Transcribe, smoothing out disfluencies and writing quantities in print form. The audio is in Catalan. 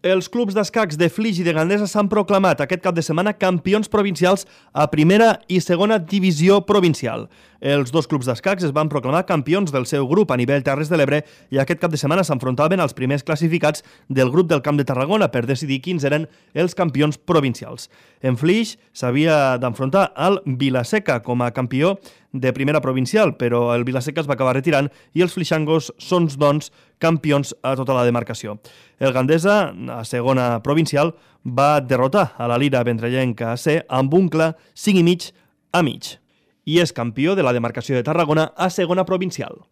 Els clubs d'escacs de Flix i de Gandesa s'han proclamat aquest cap de setmana campions provincials a primera i segona divisió provincial. Els dos clubs d'escacs es van proclamar campions del seu grup a nivell Terres de l'Ebre i aquest cap de setmana s'enfrontaven als primers classificats del grup del Camp de Tarragona per decidir quins eren els campions provincials. En Flix s'havia d'enfrontar al Vilaseca com a campió de primera provincial, però el Vilaseca es va acabar retirant i els flixangos són, doncs, campions a tota la demarcació. El Gandesa, a segona provincial, va derrotar a la Lira Vendrellenca C amb un clar 5,5 a mig. I és campió de la demarcació de Tarragona a segona provincial.